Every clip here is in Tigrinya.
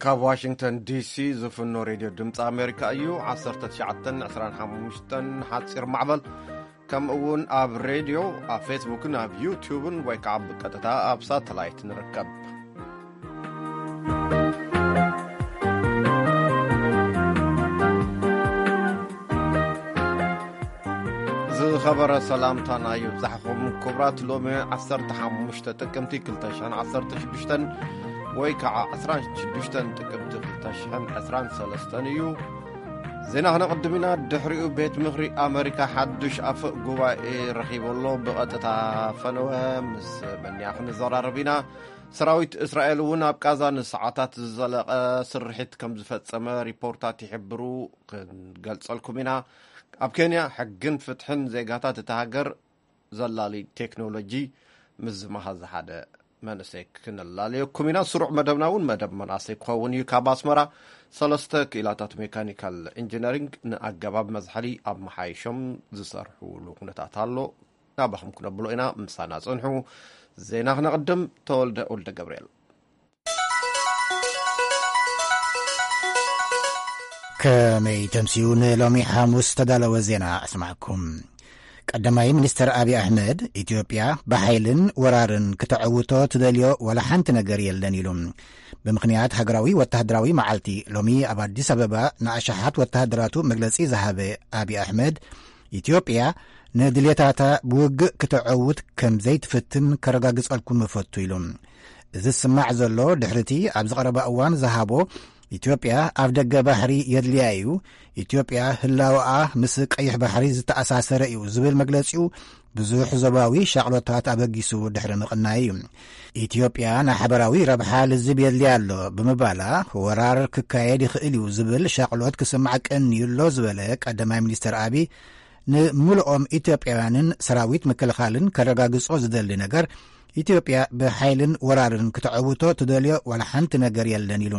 ካብ ዋሽንግተን ዲሲ ዝፍኖ ሬድዮ ድምፂ ኣሜሪካ እዩ። ዓሰርተ ትሽዓተን ዕስራን ሓሙሽተን ሓፂር ማዕበል፣ ከምኡ እውን ኣብ ሬድዮ፣ ኣብ ፌስቡክን ኣብ ዩቱብን ወይ ከዓ ብቀጥታ ኣብ ሳተላይት ንርከብ። ዝኸበረ ሰላምታና ይብዛሕኹም ክቡራት። ሎሚ ዓሰርተ ሓሙሽተ ጥቅምቲ ክልተ ሽሕን ዓሰርተ ሽዱሽተን ወይ ከዓ ዕስራን ሽዱሽተን ጥቅምቲ ክልተ ሽሕን ዕስራን ሰለስተን እዩ። ዜና ክነቕድም ኢና። ድሕሪኡ ቤት ምኽሪ ኣመሪካ ሓዱሽ ኣፈ ጉባኤ ረኺቡ ኣሎ። ብቐጥታ ፈነወ ምስ በንያ ክንዘራረብ ኢና። ሰራዊት እስራኤል እውን ኣብ ቃዛ ንሰዓታት ዝዘለቐ ስርሒት ከም ዝፈጸመ ሪፖርታት ይሕብሩ። ክንገልጸልኩም ኢና። ኣብ ኬንያ ሕግን ፍትሕን ዜጋታት እታ ሃገር ዘላሊ ቴክኖሎጂ ምስ ዝመሃዘ ሓደ መንእሰይ ክነላለየኩም ኢና። ስሩዕ መደብና እውን መደብ መናእሰይ ክኸውን እዩ። ካብ ኣስመራ ሰለስተ ክኢላታት ሜካኒካል ኢንጂነሪንግ ንኣገባብ መዝሓሊ ኣብ መሓይሾም ዝሰርሕሉ ኩነታት ኣሎ። ናባኹም ክነብሎ ኢና። ምሳና ጽንሑ። ዜና ክነቕድም። ተወልደ ወልደ ገብርኤል። ከመይ ተምስዩ ንሎሚ ሓሙስ ዝተዳለወ ዜና ኣስማዕኩም። ቀዳማይ ሚኒስተር ኣብይ ኣሕመድ፣ ኢትዮጵያ ብሓይልን ወራርን ክተዕውቶ ትደልዮ ዋላ ሓንቲ ነገር የለን ኢሉ። ብምኽንያት ሃገራዊ ወተሃደራዊ መዓልቲ ሎሚ ኣብ ኣዲስ ኣበባ ንኣሽሓት ወተሃደራቱ መግለጺ ዝሃበ ኣብይ ኣሕመድ፣ ኢትዮጵያ ንድልየታታ ብውግእ ክተዕውት ከም ዘይትፍትን ከረጋግጸልኩም እፈቱ ኢሉ። እዚ ዝስማዕ ዘሎ ድሕሪቲ ኣብዚ ቀረባ እዋን ዝሃቦ፣ ኢትዮጵያ ኣብ ደገ ባሕሪ የድልያ እዩ፣ ኢትዮጵያ ህላወኣ ምስ ቀይሕ ባሕሪ ዝተኣሳሰረ እዩ ዝብል መግለጺኡ ብዙሕ ዞባዊ ሻቕሎታት ኣበጊሱ ድሕሪ ምቕናይ እዩ። ኢትዮጵያ ንሓበራዊ ረብሓ ልዝብ የድልያ ኣሎ ብምባላ፣ ወራር ክካየድ ይኽእል እዩ ዝብል ሻቕሎት ክስማዕ ቀንዩ ኣሎ ዝበለ ቀዳማይ ሚኒስተር ኣቢ፣ ንምሉኦም ኢትዮጵያውያንን ሰራዊት ምክልኻልን ከረጋግጾ ዝደሊ ነገር፣ ኢትዮጵያ ብሓይልን ወራርን ክተዕውቶ ትደልዮ ዋላ ሓንቲ ነገር የለን ኢሉ።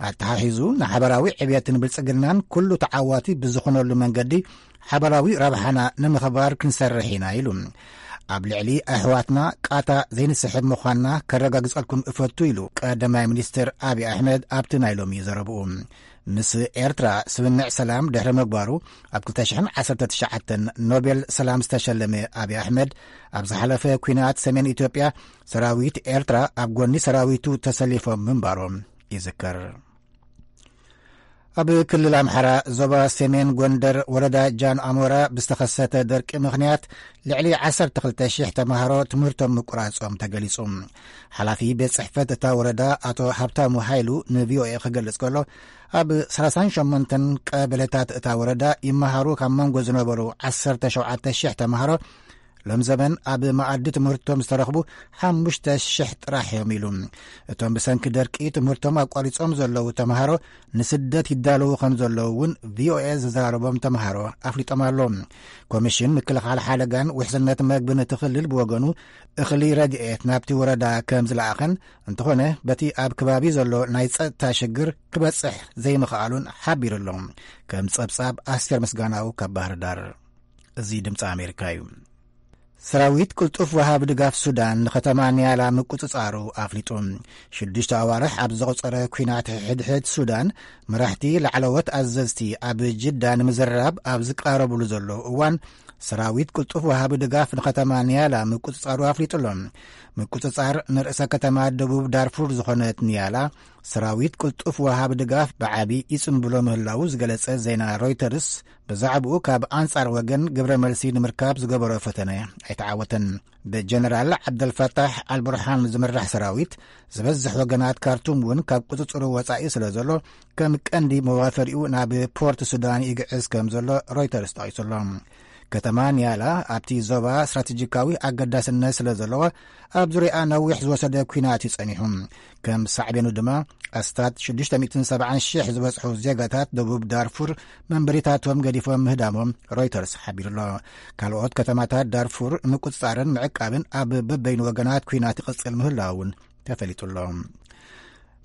ኣተሓሒዙ፣ ንሓበራዊ ዕብየትን ብልጽግናን ኩሉ ተዓዋቲ ብዝኾነሉ መንገዲ ሓበራዊ ረብሓና ንምኽባር ክንሰርሕ ኢና ኢሉ። ኣብ ልዕሊ ኣሕዋትና ቃታ ዘይንስሕብ ምዃንና ከረጋግጸልኩም እፈቱ ኢሉ ቀዳማይ ሚኒስትር ኣብይ ኣሕመድ ኣብቲ ናይ ሎሚ ዘረብኡ። ምስ ኤርትራ ስምምዕ ሰላም ድሕሪ ምግባሩ፣ ኣብ ክልተ ሽሕን ዓሰርተ ትሽዓተን ኖቤል ሰላም ዝተሸለመ ኣብይ ኣሕመድ፣ ኣብ ዝሓለፈ ኲናት ሰሜን ኢትዮጵያ ሰራዊት ኤርትራ ኣብ ጎኒ ሰራዊቱ ተሰሊፎም ምንባሮም ይዝከር። ኣብ ክልል ኣምሓራ ዞባ ሰሜን ጎንደር ወረዳ ጃን ኣሞራ ብዝተኸሰተ ደርቂ ምኽንያት ልዕሊ ዓሰርተ ክልተ ሽሕ ተምሃሮ ትምህርቶም ምቁራጾም ተገሊጹ። ሓላፊ ቤት ጽሕፈት እታ ወረዳ ኣቶ ሃብታሙ ሃይሉ ንቪኦኤ ክገልጽ ከሎ፣ ኣብ ሰላሳን ሸሞንተን ቀበሌታት እታ ወረዳ ይመሃሩ ካብ መንጎ ዝነበሩ ዓሰርተ ሸውዓተ ሽሕ ተምሃሮ ሎም ዘመን ኣብ መኣዲ ትምህርቶም ዝተረኽቡ ሓሙሽተ ሽሕ ጥራሕ እዮም ኢሉ። እቶም ብሰንኪ ደርቂ ትምህርቶም ኣቋሪጾም ዘለዉ ተምሃሮ ንስደት ይዳለዉ ከም ዘለዉ እውን ቪኦኤ ዘዘራረቦም ተምሃሮ ኣፍሊጦም ኣለዉ። ኮሚሽን ምክልኻል ሓደጋን ውሕስነት መግብን እቲ ክልል ብወገኑ እኽሊ ረድኤት ናብቲ ወረዳ ከም ዝለኣኸን፣ እንተኾነ በቲ ኣብ ከባቢ ዘሎ ናይ ጸጥታ ሽግር ክበጽሕ ዘይምኽኣሉን ሓቢሩ ኣሎ። ከም ጸብጻብ ኣስቴር ምስጋናው ካብ ባህር ዳር። እዚ ድምፂ ኣሜሪካ እዩ። ሰራዊት ቅልጡፍ ወሃቢ ድጋፍ ሱዳን ንከተማ ኒያላ ምቁፅፃሩ ኣፍሊጡ። ሽዱሽተ ኣዋርሕ ኣብ ዘቑፀረ ኲናት ሕድሕድ ሱዳን፣ መራሕቲ ላዕለዎት ኣዘዝቲ ኣብ ጅዳ ንምዝርራብ ኣብ ዝቃረብሉ ዘለዉ እዋን፣ ሰራዊት ቅልጡፍ ወሃቢ ድጋፍ ንከተማ ኒያላ ምቁፅፃሩ ኣፍሊጡ ኣሎ። ምቁፅፃር ንርእሰ ከተማ ደቡብ ዳርፉር ዝኾነት ኒያላ፣ ሰራዊት ቅልጡፍ ወሃቢ ድጋፍ ብዓቢ ይጽንብሎ ምህላዉ ዝገለጸ ዜና ሮይተርስ፣ ብዛዕባኡ ካብ ኣንጻር ወገን ግብረ መልሲ ንምርካብ ዝገበሮ ፈተነ ኣይተዓወተን። ብጀነራል ዓብደልፈታሕ ኣልቡርሃን ዝምራሕ ሰራዊት፣ ዝበዝሕ ወገናት ካርቱም እውን ካብ ቁጽጽሩ ወጻኢ ስለ ዘሎ፣ ከም ቀንዲ መዋፈሪኡ ናብ ፖርት ሱዳን ይግዕዝ ከም ዘሎ ሮይተርስ ጠቒሱ ኣሎ። ከተማ ኒያላ ኣብቲ ዞባ ስትራቴጂካዊ ኣገዳስነት ስለ ዘለዋ፣ ኣብ ዙሪኣ ነዊሕ ዝወሰደ ኲናት እዩ ጸኒሑ። ከም ሳዕቤኑ ድማ፣ ኣስታት ሽዱሽተ ሚእትን ሰብዓን ሽሕ ዝበጽሑ ዜጋታት ደቡብ ዳርፉር መንበሪታቶም ገዲፎም ምህዳሞም ሮይተርስ ሓቢሩ ኣሎ። ካልኦት ከተማታት ዳርፉር ምቁጽጻርን ምዕቃብን ኣብ በበይኑ ወገናት ኲናት ይቕጽል ምህላዉ እውን ተፈሊጡ ኣሎ።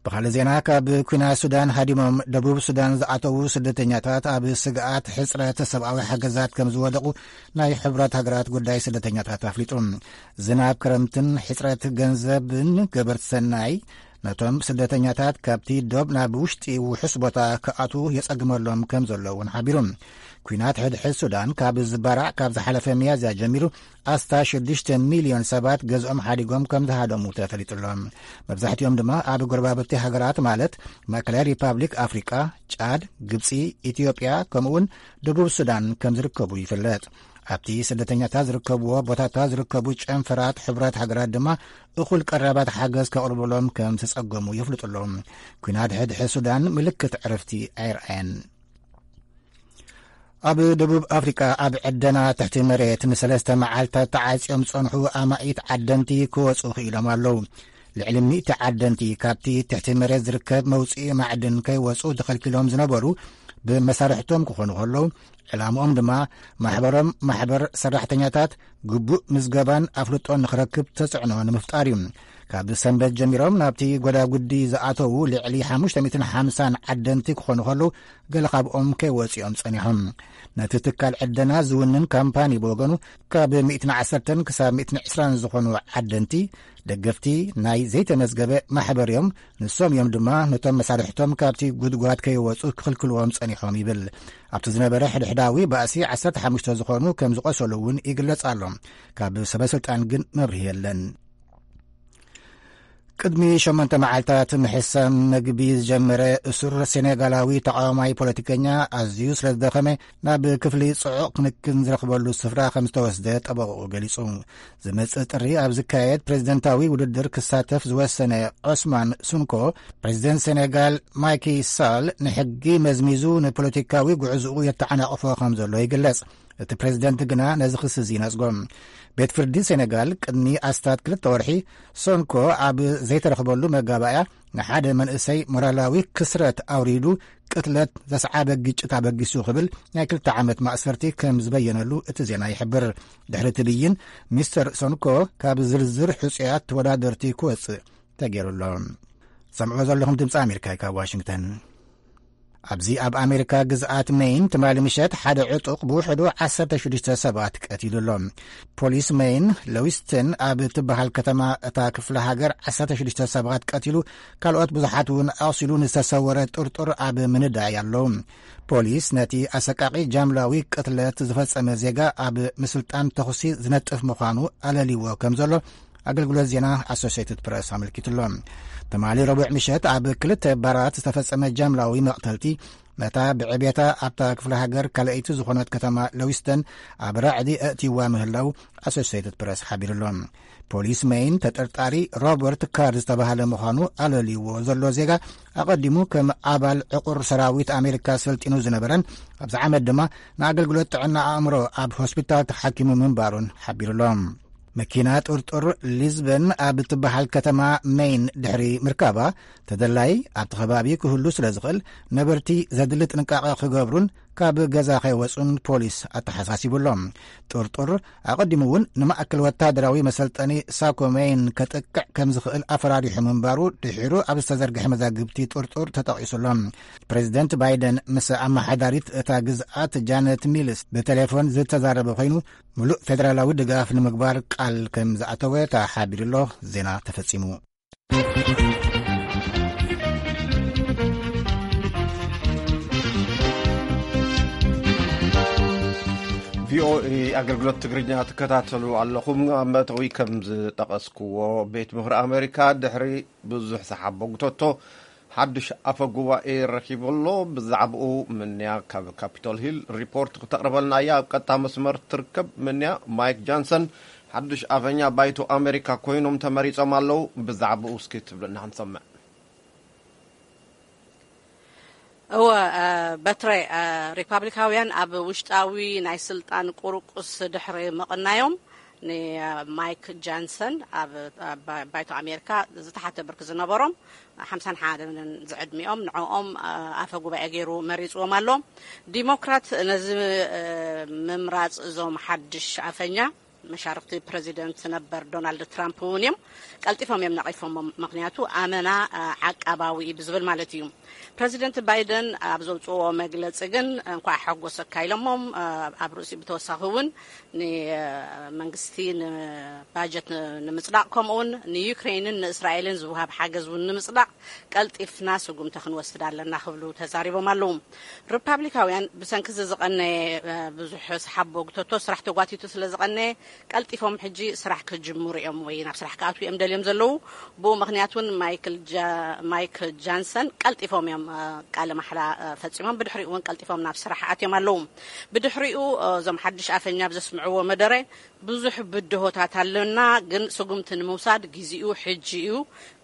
ብኻልእ ዜና፣ ካብ ኲናት ሱዳን ሃዲሞም ደቡብ ሱዳን ዝኣተዉ ስደተኛታት ኣብ ስግኣት ሕጽረት ሰብኣዊ ሓገዛት ከም ዝወደቑ ናይ ሕቡራት ሃገራት ጉዳይ ስደተኛታት ኣፍሊጡ። ዝናብ ክረምትን ሕጽረት ገንዘብን ገበርቲ ሰናይ ነቶም ስደተኛታት ካብቲ ዶብ ናብ ውሽጢ ውሑስ ቦታ ክኣትዉ የጸግመሎም ከም ዘሎ እውን ሓቢሩ። ኲናት ሕድሕድ ሱዳን ካብ ዝባራዕ ካብ ዝሓለፈ ሚያዝያ ጀሚሩ ኣስታ ሽዱሽተ ሚልዮን ሰባት ገዝኦም ሓዲጎም ከም ዝሃደሙ ተፈሊጡ ኣሎ። መብዛሕትኦም ድማ ኣብ ጎረባብቲ ሃገራት ማለት ማእከላይ ሪፓብሊክ ኣፍሪቃ፣ ጫድ፣ ግብጺ፣ ኢትዮጵያ ከምኡውን ደቡብ ሱዳን ከም ዝርከቡ ይፍለጥ። ኣብቲ ስደተኛታት ዝርከብዎ ቦታታት ዝርከቡ ጨንፈራት ሕቡራት ሃገራት ድማ እኹል ቀረባት ሓገዝ ከቕርብሎም ከም ዝጸገሙ የፍልጡ ኣለዉ። ኲናት ሕድሕድ ሱዳን ምልክት ዕረፍቲ ኣይረኣየን። ኣብ ደቡብ ኣፍሪቃ ኣብ ዕደና ትሕቲ መሬት ንሰለስተ መዓልታት ተዓጽዮም ዝጸንሑ ኣማኢት ዓደንቲ ክወጹ ክኢሎም ኣለዉ። ልዕሊ ሚእቲ ዓደንቲ ካብቲ ትሕቲ መሬት ዝርከብ መውጽኢ ማዕድን ከይወጹ ተኸልኪሎም ዝነበሩ ብመሳርሕቶም ክኾኑ ከለዉ ዕላምኦም ድማ ማሕበሮም ማሕበር ሰራሕተኛታት ግቡእ ምዝገባን ኣፍልጦን ንኽረክብ ተጽዕኖ ንምፍጣር እዩ። ካብ ሰንበት ጀሚሮም ናብቲ ጎዳጉዲ ዝኣተዉ ልዕሊ ሓሙሽተ ሚእትን ሓምሳን ዓደንቲ ክኾኑ ከለዉ ገለ ካብኦም ከይወጽኦም ጸኒሖም። ነቲ ትካል ዕደና ዝውንን ካምፓኒ ብወገኑ ካብ ሚእትን ዓሰርተን ክሳብ ሚእትን ዕስራን ዝኾኑ ዓደንቲ ደገፍቲ ናይ ዘይተመዝገበ ማሕበር እዮም። ንሶም እዮም ድማ ነቶም መሳርሕቶም ካብቲ ጉድጓድ ከይወጹ ክኽልክልዎም ጸኒሖም ይብል። ኣብቲ ዝነበረ ሕድሕዳዊ ባእሲ ዓሰርተ ሓሙሽተ ዝኾኑ ከም ዝቖሰሉ እውን ይግለጽ ኣሎ። ካብ ሰበ ስልጣን ግን መብርሂ የለን። ቅድሚ ሸሞንተ መዓልታት ምሕሳም መግቢ ዝጀመረ እሱር ሴኔጋላዊ ተቃዋማይ ፖለቲከኛ ኣዝዩ ስለ ዝደኸመ ናብ ክፍሊ ጽዑቕ ክንክን ዝረኽበሉ ስፍራ ከም ዝተወስደ ጠበቕኡ ገሊጹ። ዝመጽእ ጥሪ ኣብ ዝካየድ ፕሬዝደንታዊ ውድድር ክሳተፍ ዝወሰነ ዖስማን ሱንኮ፣ ፕሬዝደንት ሴኔጋል ማይኪ ሳል ንሕጊ መዝሚዙ ንፖለቲካዊ ጉዕዝኡ የተዓናቕፎ ከም ዘሎ ይግለጽ። እቲ ፕሬዝደንት ግና ነዚ ክሲ እዚ ይነጽጎ። ቤት ፍርዲ ሴኔጋል ቅድሚ ኣስታት ክልተ ወርሒ ሶንኮ ኣብ ዘይተረኽበሉ መጋባእያ ንሓደ መንእሰይ ሞራላዊ ክስረት ኣውሪዱ ቅትለት ዘስዓበ ግጭት ኣበጊሱ ክብል ናይ ክልተ ዓመት ማእሰርቲ ከም ዝበየነሉ እቲ ዜና ይሕብር። ድሕሪ እቲ ብይን ሚስተር ሶንኮ ካብ ዝርዝር ሕጹያት ተወዳደርቲ ክወጽእ ተገይሩ ኣሎ። ሰምዕዎ ዘለኹም ድምፂ ኣሜሪካ እዩ ካብ ዋሽንግተን። ኣብዚ ኣብ ኣሜሪካ ግዝኣት ሜይን ትማሊ ምሸት ሓደ ዕጡቕ ብውሕዱ ዓሰርተ ሽዱሽተ ሰባት ቀቲሉ ኣሎ። ፖሊስ ሜይን ለዊስተን ኣብ ትበሃል ከተማ እታ ክፍለ ሃገር ዓሰርተ ሽዱሽተ ሰባት ቀቲሉ ካልኦት ብዙሓት እውን ኣቑሲሉ ንዝተሰወረ ጥርጡር ኣብ ምንዳይ ኣለዉ። ፖሊስ ነቲ ኣሰቃቒ ጃምላዊ ቅትለት ዝፈጸመ ዜጋ ኣብ ምስልጣን ተኹሲ ዝነጥፍ ምዃኑ ኣለልይዎ ከም ዘሎ ኣገልግሎት ዜና ኣሶሲየትድ ፕረስ ኣመልኪቱ ኣሎ። ትማሊ ረቡዕ ምሸት ኣብ ክልተ ባራት ዝተፈጸመ ጃምላዊ መቕተልቲ ነታ ብዕቤታ ኣብታ ክፍለ ሃገር ካልኣይቲ ዝኾነት ከተማ ለዊስተን ኣብ ራዕዲ ኣእትይዋ ምህላው ኣሶሲየትድ ፕረስ ሓቢሩ ኣሎ። ፖሊስ ሜይን ተጠርጣሪ ሮበርት ካር ዝተባህለ ምዃኑ ኣለልይዎ ዘሎ ዜጋ ኣቐዲሙ ከም ኣባል ዕቑር ሰራዊት ኣሜሪካ ሰልጢኑ ዝነበረን ኣብዚ ዓመት ድማ ንኣገልግሎት ጥዕና ኣእምሮ ኣብ ሆስፒታል ተሓኪሙ ምንባሩን ሓቢሩ ኣሎ። መኪና ጥርጡር ሊዝበን ኣብ እትበሃል ከተማ ሜይን ድሕሪ ምርካባ ተደላይ ኣብቲ ከባቢ ክህሉ ስለ ዝኽእል ነበርቲ ዘድሊ ጥንቃቐ ክገብሩን ካብ ገዛ ከይወጹን ፖሊስ ኣተሓሳሲቡ ኣሎ። ጥርጡር ኣቐዲሙ እውን ንማእከል ወታደራዊ መሰልጠኒ ሳኮ ሜይን ከጥቅዕ ከም ዝኽእል ኣፈራሪሑ ምንባሩ ድሒሩ ኣብ ዝተዘርግሐ መዛግብቲ ጥርጡር ተጠቒሱ ኣሎ። ፕሬዚደንት ባይደን ምስ ኣመሓዳሪት እታ ግዝኣት ጃነት ሚልስ ብቴሌፎን ዝተዛረበ ኮይኑ ምሉእ ፌደራላዊ ድጋፍ ንምግባር ቃል ከም ዝኣተወ ተሓቢሩ ኣሎ። ዜና ተፈጺሙ። ቪኦኤ ኣገልግሎት ትግርኛ ትከታተሉ ኣለኹም። ኣብ መእተዊ ከም ዝጠቐስክዎ፣ ቤት ምኽሪ ኣሜሪካ ድሕሪ ብዙሕ ሰሓቦ ጉተቶ ሓድሽ ኣፈ ጉባኤ ረኺቡ ኣሎ። ብዛዕባኡ ምንያ ካብ ካፒቶል ሂል ሪፖርት ክተቕርበልና እያ ኣብ ቀጥታ መስመር ትርከብ። ምንያ፣ ማይክ ጃንሰን ሓድሽ ኣፈኛ ባይቶ ኣሜሪካ ኮይኖም ተመሪጾም ኣለዉ። ብዛዕባኡ እስኪ ትብልና ክንሰምዕ። እወ፣ እ፣ በትረ፣ እ፣ ሪፓብሊካውያን ኣብ ውሽጣዊ ናይ ስልጣን ቁርቁስ ድሕሪ ምቕናዮም፣ ንማይክ ጃንሰን ኣብ፣ ኣብ ባይቶ ኣሜሪካ ዝተሓተ ብርኪ ዝነበሮም ሓምሳን ሓደን ዝዕድሚኦም ንዕኦም፣ እ፣ ኣፈ ጉባኤ ገይሩ መሪፅዎም ኣሎ። ዲሞክራት ነዚ፣ እ፣ ምምራፅ እዞም ሓድሽ ኣፈኛ መሻርክቲ ፕረዚደንት ነበር ዶናልድ ትራምፕ እውን እዮም ቀልጢፎም እዮም ነቒፎም። ምክንያቱ ኣመና ዓቃባዊ እዩ ብዝብል ማለት እዩ። ፕረዚደንት ባይደን ኣብ ዘውፅዎ መግለፂ ግን እንኳዕ ሓጎሰካ ኢሎሞም። ኣብ ርእሲ ብተወሳኺ እውን ንመንግስቲ ንባጀት ንምፅዳቕ ከምኡውን ንዩክሬንን ንእስራኤልን ዝውሃብ ሓገዝ እውን ንምፅዳቕ ቀልጢፍና ስጉምቲ ክንወስድ ኣለና ክብሉ ተዛሪቦም ኣለዉ። ሪፓብሊካውያን ብሰንኪ እዚ ዝቐነየ ብዙሕ ሰሓቦ ግተቶ ስራሕ ተጓቲቱ ስለ ዝቐነየ ቀልጢፎም ሕጂ ስራሕ ክጅምሩ እዮም ወይ ናብ ስራሕ ክኣትዉ እዮም ደልዮም ዘለዉ። ብኡ ምክንያት እውን ማይክ ጃንሰን ቀልጢፎም እዮም ቃለ ማሕላ ፈፂሞም፣ ብድሕሪኡ እውን ቀልጢፎም ናብ ስራሕ ኣትዮም ኣለዉ። ብድሕሪኡ እዞም ሓድሽ ኣፈኛ ብዘስምዕዎ መደረ ብዙሕ ብድሆታት ኣለና፣ ግን ስጉምቲ ንምውሳድ ግዜኡ ሕጂ እዩ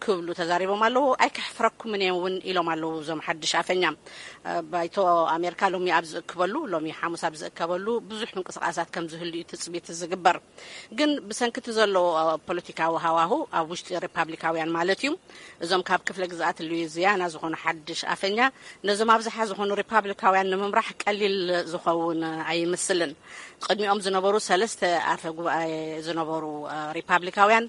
ክብሉ ተዛሪቦም ኣለዉ። ኣይክሕፍረኩምን እየ እውን ኢሎም ኣለዉ እዞም ሓድሽ ኣፈኛ። ባይቶ ኣሜሪካ ሎሚ ኣብ ዝእክበሉ፣ ሎሚ ሓሙስ ኣብ ዝእከበሉ ብዙሕ ምንቅስቃሳት ከም ዝህሉ እዩ ትፅቢት ዝግበር። ግን ብሰንክቲ ዘሎ ፖለቲካዊ ሃዋሁ ኣብ ውሽጢ ሪፓብሊካውያን ማለት እዩ፣ እዞም ካብ ክፍለ ግዝኣት ሉዊዚያና ዝኾኑ ሓድሽ ኣፈኛ ነዞም ኣብዝሓ ዝኾኑ ሪፓብሊካውያን ንምምራሕ ቀሊል ዝኸውን ኣይምስልን። ቅድሚኦም ዝነበሩ ሰለስተ ኣፈ ጉባኤ ዝነበሩ ሪፓብሊካውያን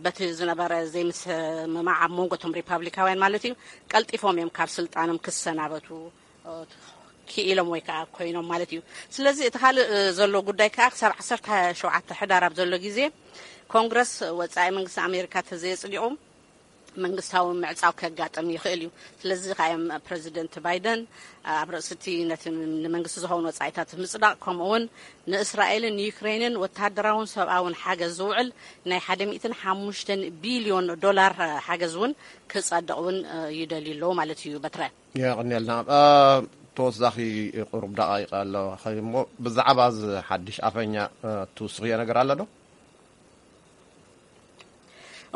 በቲ ዝነበረ ዘይምስምማዕ ኣብ መንጎ እቶም ሪፓብሊካውያን ማለት እዩ ቀልጢፎም እዮም ካብ ስልጣኖም ክሰናበቱ ክኢሎም ወይ ከዓ ኮይኖም ማለት እዩ። ስለዚ እቲ ካልእ ዘሎ ጉዳይ ከዓ ክሳብ ዓሰርተ ሸውዓተ ሕዳር ኣብ ዘሎ ግዜ ኮንግረስ ወፃኢ መንግስቲ ኣሜሪካ ተዘየፅዲቑ መንግስታዊ ምዕፃው ከጋጥም ይኽእል እዩ። ስለዚ ከኣዮም ፕረዚደንት ባይደን ኣብ ርእስቲ ነቲ ንመንግስቲ ዝኸውን ወፃኢታት ምፅዳቕ ከምኡ እውን ንእስራኤልን ዩክሬንን ወታደራውን ሰብኣውን ሓገዝ ዝውዕል ናይ ሓደ ሚእትን ሓሙሽተን ቢልዮን ዶላር ሓገዝ እውን ክፀድቕ እውን ይደልዩ ኣለዉ ማለት እዩ። በትረ የቕንየልና። ተወሳኺ ቁሩብ ደቃይቕ ኣሎ እሞ ብዛዕባ እዚ ሓድሽ ኣፈኛ ትውስኽዮ ነገር ኣሎ ዶ?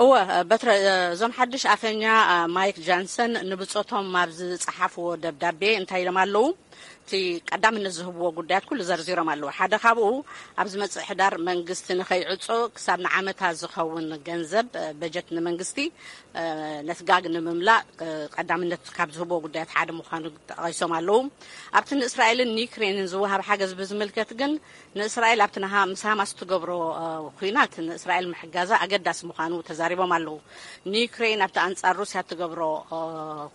እወ በትረ፣ እዞም ሓድሽ ኣፈኛ ማይክ ጃንሰን ንብጾቶም ኣብ ዝጸሓፍዎ ደብዳቤ እንታይ ኢሎም ኣለዉ? እቲ ቀዳምነት ዝህብዎ ጉዳያት ኩሉ ዘርዚሮም ኣለዉ። ሓደ ካብኡ ኣብ ዝመጽእ ሕዳር መንግስቲ ንኸይዕጾ ክሳብ ንዓመታ ዝኸውን ገንዘብ በጀት ንመንግስቲ ነቲ ጋግ ንምምላእ ቀዳምነት ካብ ዝህብዎ ጉዳያት ሓደ ምዃኑ ጠቒሶም ኣለዉ። ኣብቲ ንእስራኤልን ንዩክሬንን ዝወሃብ ሓገዝ ብዝምልከት ግን ንእስራኤል ኣብቲ ንሃ ምስ ሃማስ ትገብሮ ኩናት ንእስራኤል ምሕጋዛ ኣገዳሲ ምዃኑ ተዛሪቦም ኣለዉ። ንዩክሬን ኣብቲ ኣንጻር ሩስያ ትገብሮ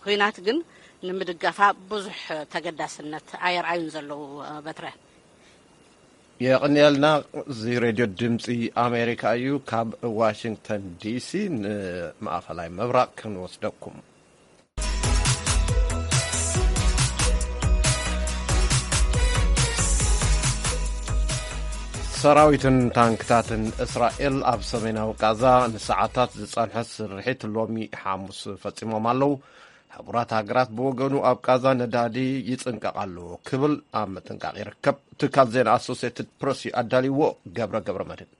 ኩናት ግን ንምድጋፋ ብዙሕ ተገዳስነት ኣየርኣዩን ዘለዉ። በትረ የቕንየልና። እዚ ሬድዮ ድምፂ ኣሜሪካ እዩ። ካብ ዋሽንግተን ዲሲ ንማእኸላይ ምብራቕ ክንወስደኩም። ሰራዊትን ታንክታትን እስራኤል ኣብ ሰሜናዊ ቃዛ ንሰዓታት ዝጸንሐ ስርሒት ሎሚ ሓሙስ ፈጺሞም ኣለዉ። ሕቡራት ሃገራት ብወገኑ ኣብ ቃዛ ነዳዲ ይጽንቀቕ ኣለዎ ክብል ኣብ ምጥንቃቕ ይርከብ። ትካል ዜና ኣሶሴትድ ፕረስ እዩ ኣዳልይዎ። ገብረ ገብረ መድህን።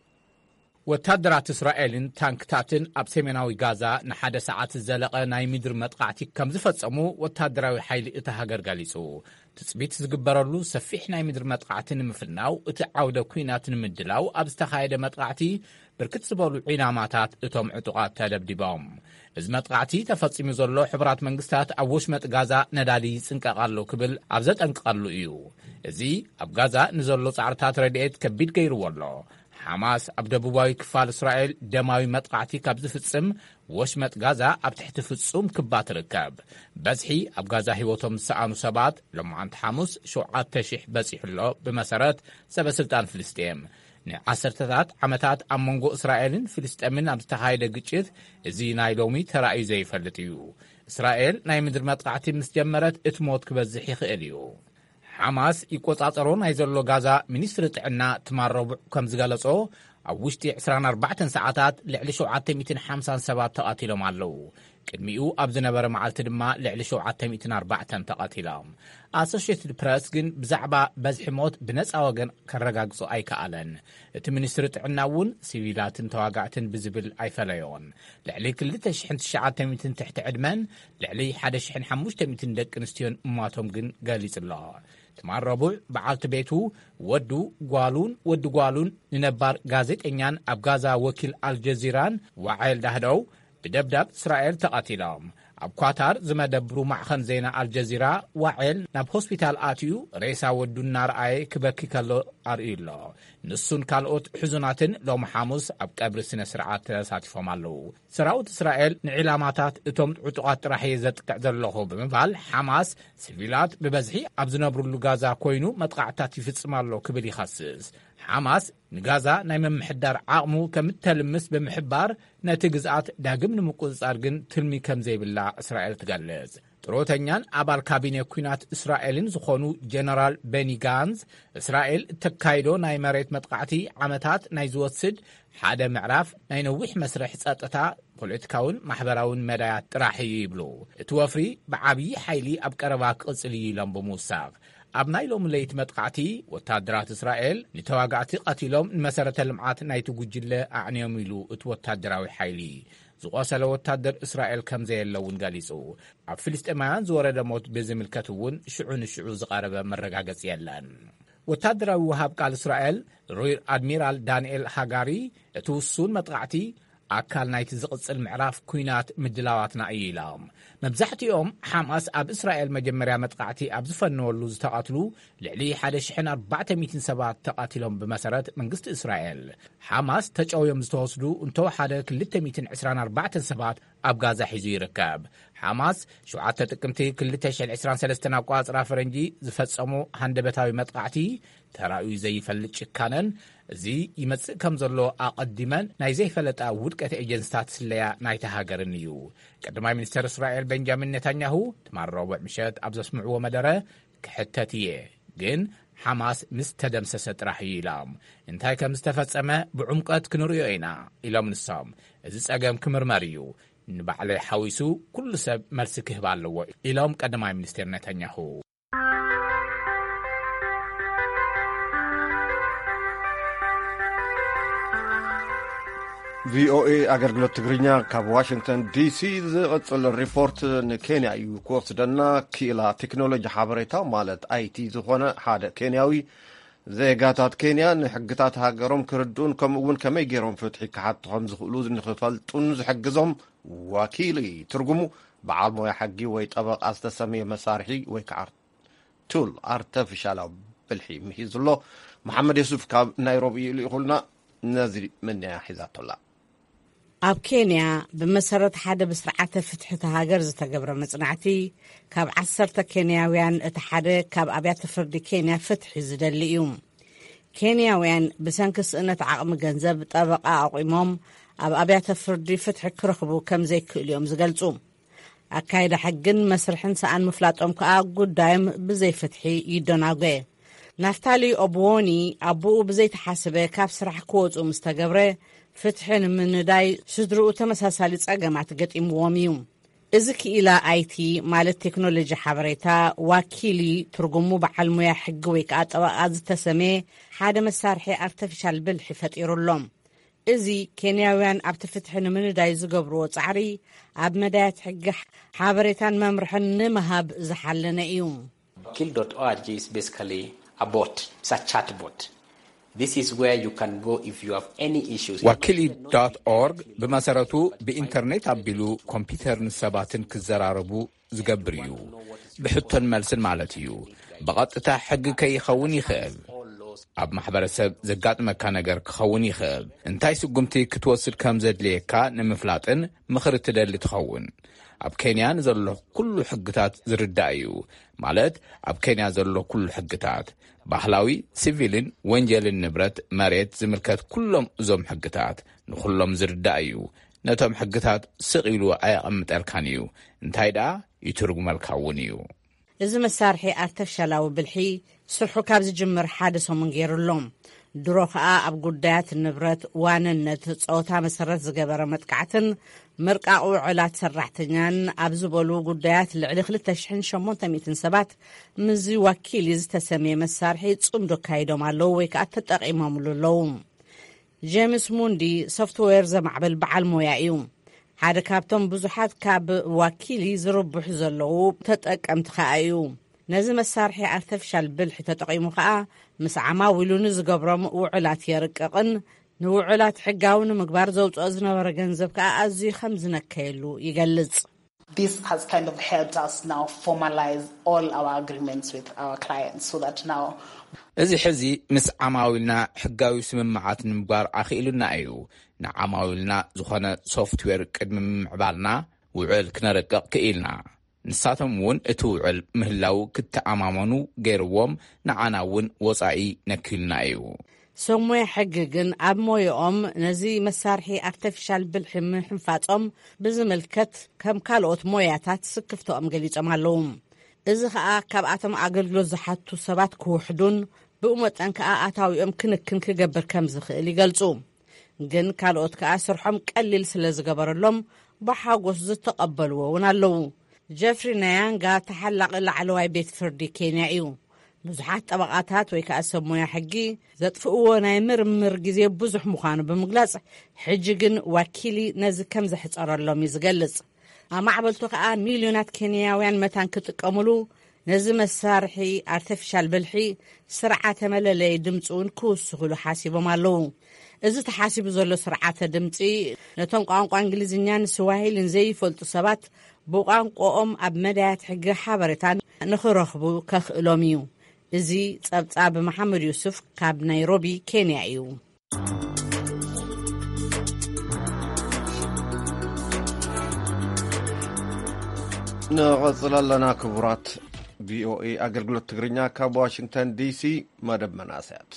ወታደራት እስራኤልን ታንክታትን ኣብ ሰሜናዊ ጋዛ ንሓደ ሰዓት ዝዘለቐ ናይ ምድሪ መጥቃዕቲ ከም ዝፈጸሙ ወታደራዊ ሓይሊ እታ ሃገር ገሊጹ። ትጽቢት ዝግበረሉ ሰፊሕ ናይ ምድሪ መጥቃዕቲ ንምፍናው እቲ ዓውደ ኲናት ንምድላው ኣብ ዝተኻየደ መጥቃዕቲ ብርክት ዝበሉ ዒላማታት እቶም ዕጡቓት ተደብዲቦም። እዚ መጥቃዕቲ ተፈጺሙ ዘሎ ሕቡራት መንግስታት ኣብ ወሽመጥ ጋዛ ነዳዲ ይጽንቀቕ ኣሎ ክብል ኣብ ዘጠንቅቐሉ እዩ። እዚ ኣብ ጋዛ ንዘሎ ጻዕርታት ረድኤት ከቢድ ገይርዎ ኣሎ። ሓማስ ኣብ ደቡባዊ ክፋል እስራኤል ደማዊ መጥቃዕቲ ካብ ዝፍጽም ወሽመጥ ጋዛ ኣብ ትሕቲ ፍጹም ክባ ትርከብ። በዝሒ ኣብ ጋዛ ህይወቶም ዝሰኣኑ ሰባት ሎማዓንቲ ሓሙስ ሸውዓተ ሺሕ በጺሑ ኣሎ፣ ብመሰረት ሰበ ስልጣን ፍልስጤም። ንዓሰርተታት ዓመታት ኣብ መንጎ እስራኤልን ፍልስጤምን ኣብ ዝተኻየደ ግጭት እዚ ናይ ሎሚ ተራእዩ ዘይፈልጥ እዩ። እስራኤል ናይ ምድሪ መጥቃዕቲ ምስ ጀመረት እቲ ሞት ክበዝሕ ይኽእል እዩ። ሓማስ ይቆጻጸሮ ናይ ዘሎ ጋዛ ሚኒስትሪ ጥዕና ትማል ረቡዕ ከም ዝገለጾ ኣብ ውሽጢ ዕስራን ኣርባዕተን ሰዓታት ልዕሊ ሸውዓተ ሚእትን ሓምሳን ሰባት ተቐቲሎም ኣለዉ። ቅድሚኡ ኣብ ዝነበረ መዓልቲ ድማ ልዕሊ ሸውዓተ ሚእትን ኣርባዕተን ተቐቲሎም። ኣሶሽየትድ ፕረስ ግን ብዛዕባ በዝሒ ሞት ብነጻ ወገን ከረጋግጾ ኣይከኣለን። እቲ ሚኒስትሪ ጥዕና እውን ሲቪላትን ተዋጋእትን ብዝብል ኣይፈለዮን። ልዕሊ ክልተ ሽሕን ትሽዓተ ሚእትን ትሕቲ ዕድመን ልዕሊ ሓደ ሽሕን ሓሙሽተ ሚእትን ደቂ ኣንስትዮን ምሟቶም ግን ገሊጹ ኣሎ። ትማል ረቡዕ በዓልቲ ቤቱ፣ ወዱ፣ ጓሉን ወዲ ጓሉን ንነባር ጋዜጠኛን ኣብ ጋዛ ወኪል ኣልጀዚራን ዋዓል ዳህደው ብደብዳብ እስራኤል ተቐቲሎም። ኣብ ኳታር ዝመደብሩ ማዕኸን ዜና ኣልጀዚራ ዋዔል ናብ ሆስፒታል ኣትዩ ሬሳ ወዱ እናረኣየ ክበኪ ከሎ ኣርእዩ ኣሎ። ንሱን ካልኦት ሕዙናትን ሎም ሓሙስ ኣብ ቀብሪ ስነ ስርዓት ተሳቲፎም ኣለዉ። ሰራዊት እስራኤል ንዒላማታት እቶም ዕጡቓት ጥራሕ እየ ዘጥቅዕ ዘለኹ ብምባል፣ ሓማስ ሲቪላት ብበዝሒ ኣብ ዝነብሩሉ ጋዛ ኮይኑ መጥቓዕታት ይፍጽም ኣሎ ክብል ይኸስስ። ሓማስ ንጋዛ ናይ ምምሕዳር ዓቕሙ ከም እተልምስ ብምሕባር፣ ነቲ ግዝኣት ዳግም ንምቁጽጻር ግን ትልሚ ከም ዘይብላ እስራኤል ትገልጽ። ጥሮተኛን ኣባል ካቢነ ኲናት እስራኤልን ዝኾኑ ጀነራል ቤኒ ጋንዝ፣ እስራኤል እተካይዶ ናይ መሬት መጥቃዕቲ ዓመታት ናይ ዝወስድ ሓደ ምዕራፍ ናይ ነዊሕ መስርሕ ጸጥታ፣ ፖለቲካውን ማሕበራውን መዳያት ጥራሕ እዩ ይብሉ። እቲ ወፍሪ ብዓብዪ ሓይሊ ኣብ ቀረባ ክቕጽል እዩ ኢሎም ብምውሳኽ፣ ኣብ ናይ ሎሚ ለይቲ መጥቃዕቲ ወታደራት እስራኤል ንተዋጋእቲ ቀቲሎም ንመሰረተ ልምዓት ናይቲ ጉጅለ ኣዕንዮም ኢሉ እቲ ወታደራዊ ሓይሊ። ዝቖሰለ ወታደር እስራኤል ከም ዘየለ እውን ገሊጹ። ኣብ ፍልስጤማውያን ዝወረደ ሞት ብዝምልከት እውን ሽዑ ንሽዑ ዝቐረበ መረጋገጺ የለን። ወታደራዊ ወሃብ ቃል እስራኤል ሪር ኣድሚራል ዳንኤል ሃጋሪ፣ እቲ ውሱን መጥቃዕቲ ኣካል ናይቲ ዝቕጽል ምዕራፍ ኲናት ምድላዋትና እዩ ኢሎም። መብዛሕትኦም ሓማስ ኣብ እስራኤል መጀመርያ መጥቃዕቲ ኣብ ዝፈነወሉ ዝተቐትሉ ልዕሊ ሓደ ሽሕን ኣርባዕተ ሚእትን ሰባት ተቐቲሎም ብመሰረት መንግስቲ እስራኤል። ሓማስ ተጨውዮም ዝተወስዱ እንተወሓደ ክልተ ሚእትን ዕስራን ኣርባዕተን ሰባት ኣብ ጋዛ ሒዙ ይርከብ። ሓማስ ሸውዓተ ጥቅምቲ ክልተ ሽሕን ዕስራን ሰለስተን ኣቋጽራ ፈረንጂ ዝፈጸሞ ሃንደበታዊ መጥቃዕቲ ተራእዩ ዘይፈልጥ ጭካነን፣ እዚ ይመጽእ ከም ዘሎ ኣቐዲመን ናይ ዘይፈለጣ ውድቀት ኤጀንስታት ስለያ ናይታ ሃገርን እዩ። ቀዳማይ ሚኒስተር እስራኤል ቤንጃሚን ኔታንያሁ ትማል ረቡዕ ምሸት ኣብ ዘስምዕዎ መደረ፣ "ክሕተት እየ፣ ግን ሓማስ ምስ ተደምሰሰ ጥራሕ እዩ" ኢሎም። እንታይ ከም ዝተፈጸመ ብዕምቀት ክንርእዮ ኢና ኢሎም ንሶም። እዚ ጸገም ክምርመር እዩ፣ ንባዕለይ ሓዊሱ ኩሉ ሰብ መልሲ ክህብ ኣለዎ ኢሎም ቀዳማይ ሚኒስተር ኔታንያሁ። ቪኦኤ ኣገልግሎት ትግርኛ ካብ ዋሽንግተን ዲሲ ዝቕጽል ሪፖርት ንኬንያ እዩ ክወስደና። ክኢላ ቴክኖሎጂ ሓበሬታ ማለት ኣይቲ ዝኾነ ሓደ ኬንያዊ፣ ዜጋታት ኬንያ ንሕግታት ሃገሮም ክርድኡን ከምኡ እውን ከመይ ገይሮም ፍትሒ ክሓቱ ከም ዝኽእሉ ንኽፈልጡን ዝሕግዞም ዋኪሊ ትርጉሙ በዓል ሞያ ሕጊ ወይ ጠበቓ ዝተሰምየ መሳርሒ ወይ ከዓ ቱል ኣርተፊሻላዊ ብልሒ ምሂዙ ኣሎ። መሓመድ የሱፍ ካብ ናይሮቢ ልኢኹልና፣ ነዚ ምንያ ሒዛቶላ። ኣብ ኬንያ ብመሰረት ሓደ ብስርዓተ ፍትሒ እታ ሃገር ዝተገብረ መጽናዕቲ፣ ካብ ዓሰርተ ኬንያውያን እቲ ሓደ ካብ ኣብያተ ፍርዲ ኬንያ ፍትሒ ዝደሊ እዩ። ኬንያውያን ብሰንኪ ስእነት ዓቕሚ ገንዘብ ጠበቓ ኣቑሞም ኣብ ኣብያተ ፍርዲ ፍትሒ ክረኽቡ ከም ዘይክእሉ እዮም ዝገልጹ። ኣካይዳ ሕግን መስርሕን ሰኣን ምፍላጦም ከኣ ጉዳዮም ብዘይፍትሒ ይደናጎ። ናፍታሊ ኦብዎኒ ኣቦኡ ብዘይተሓስበ ካብ ስራሕ ክወጹ ምስ ተገብረ፣ ፍትሒ ንምንዳይ ስድርኡ ተመሳሳሊ ጸገማት ገጢምዎም እዩ። እዚ ክኢላ ኣይቲ ማለት ቴክኖሎጂ ሓበሬታ ዋኪሊ ትርጉሙ በዓል ሙያ ሕጊ ወይ ከኣ ጠበቓ ዝተሰመየ ሓደ መሳርሒ ኣርተፊሻል ብልሒ ፈጢሩ ኣሎ። እዚ ኬንያውያን ኣብቲ ፍትሒ ንምንዳይ ዝገብርዎ ጻዕሪ ኣብ መዳያት ሕጊ ሓበሬታን መምርሕን ንምሃብ ዝሓለነ እዩ። Wakil dot org is basically a bot. It's a chat bot. This is where you can go if you have any issues. ዋኪሊ ዶት ኦርግ ብመሰረቱ ብኢንተርኔት ኣቢሉ ኮምፒውተርን ሰባትን ክዘራረቡ ዝገብር እዩ። ብሕቶን መልስን ማለት እዩ። ብቐጥታ ሕጊ ከይኸውን ይኽእል። ኣብ ማሕበረሰብ ዘጋጥመካ ነገር ክኸውን ይኽእል። እንታይ ስጉምቲ ክትወስድ ከም ዘድልየካ ንምፍላጥን ምኽሪ ትደሊ ትኸውን። ኣብ ኬንያ ንዘሎ ኩሉ ሕግታት ዝርዳእ እዩ። ማለት ኣብ ኬንያ ዘሎ ኩሉ ሕግታት፣ ባህላዊ፣ ሲቪልን ወንጀልን ንብረት፣ መሬት ዝምልከት ኩሎም እዞም ሕግታት ንኹሎም ዝርዳእ እዩ። ነቶም ሕግታት ስቕ ኢሉ ኣየቐምጠልካን እዩ። እንታይ ደኣ ይትርጉመልካ እውን እዩ። እዚ መሳርሒ ኣርተፍሻላዊ ብልሒ ስርሑ ካብ ዝጅምር ሓደ ሰሙን ገይሩ ኣሎ። ድሮ ከኣ ኣብ ጉዳያት ንብረት፣ ዋንነት፣ ጾታ መሰረት ዝገበረ መጥቃዕትን ምርቃቕ ውዕላት ሰራሕተኛን ኣብ ዝበሉ ጉዳያት ልዕሊ ክልተ ሽሕን ሸሞንተ ሚእትን ሰባት ምስዚ ዋኪሊ ዝተሰምየ መሳርሒ ጽምዶ ኣካይዶም ኣለዉ ወይ ከኣ ተጠቒሞምሉ ኣለዉ። ጄምስ ሙንዲ ሶፍትዌር ዘማዕብል በዓል ሞያ እዩ። ሓደ ካብቶም ብዙሓት ካብ ዋኪሊ ዝርብሑ ዘለዉ ተጠቀምቲ ከኣ እዩ። ነዚ መሳርሒ ኣርተፊሻል ብልሒ ተጠቒሙ ከኣ ምስ ዓማዊሉ ንዝገብሮም ውዕላት የርቅቕን ንውዕላት ሕጋዊ ንምግባር ዘውፅኦ ዝነበረ ገንዘብ ከኣ ኣዝዩ ከም ዝነከየሉ ይገልጽ። This has kind of helped us now formalize all our agreements with our clients so that now እዚ ሕዚ ምስ ዓማዊልና ሕጋዊ ስምምዓት ንምግባር ኣኽኢሉና እዩ። ንዓማዊልና ዝኾነ ሶፍትዌር ቅድሚ ምምዕባልና ውዕል ክነረቅቕ ክኢልና። ንሳቶም እውን እቲ ውዕል ምህላው ክተኣማመኑ ገይርዎም፣ ንዓና እውን ወጻኢ ነኪልና እዩ። ሰብ ሞያ ሕጊ ግን ኣብ ሞያኦም ነዚ መሳርሒ ኣርተፊሻል ብልሒ ምሕንፋጾም ብዝምልከት ከም ካልኦት ሞያታት ስክፍተኦም ገሊጾም ኣለዉ። እዚ ኸኣ ካብኣቶም ኣገልግሎት ዝሓቱ ሰባት ክውሕዱን ብኡ መጠን ከኣ ኣታዊኦም ክንክን ክገብር ከም ዝኽእል ይገልጹ። ግን ካልኦት ከኣ ስርሖም ቀሊል ስለ ዝገበረሎም ብሓጎስ ዝተቐበልዎ እውን ኣለዉ። ጀፍሪ ናያንጋ ተሓላቒ ላዕለዋይ ቤት ፍርዲ ኬንያ እዩ። ብዙሓት ጠበቓታት ወይ ከኣ ሰብ ሞያ ሕጊ ዘጥፍእዎ ናይ ምርምር ግዜ ብዙሕ ምዃኑ ብምግላጽ፣ ሕጂ ግን ዋኪሊ ነዚ ከም ዘሕጸረሎም እዩ ዝገልጽ። ኣማዕበልቱ ከኣ ሚልዮናት ኬንያውያን መታን ክጥቀሙሉ፣ ነዚ መሳርሒ ኣርተፊሻል ብልሒ ስርዓተ መለለይ ድምፂ እውን ክውስኹሉ ሓሲቦም ኣለዉ። እዚ ተሓሲቡ ዘሎ ስርዓተ ድምፂ ነቶም ቋንቋ እንግሊዝኛን ስዋሂልን ዘይፈልጡ ሰባት ብቋንቋኦም ኣብ መዳያት ሕጊ ሓበሬታ ንኽረኽቡ ከኽእሎም እዩ። እዚ ጸብጻብ መሓመድ ዩሱፍ ካብ ናይሮቢ ኬንያ እዩ። ንቐጽል ኣለና ክቡራት። ቪኦኤ ኣገልግሎት ትግርኛ ካብ ዋሽንግተን ዲሲ፣ መደብ መናእሰያት።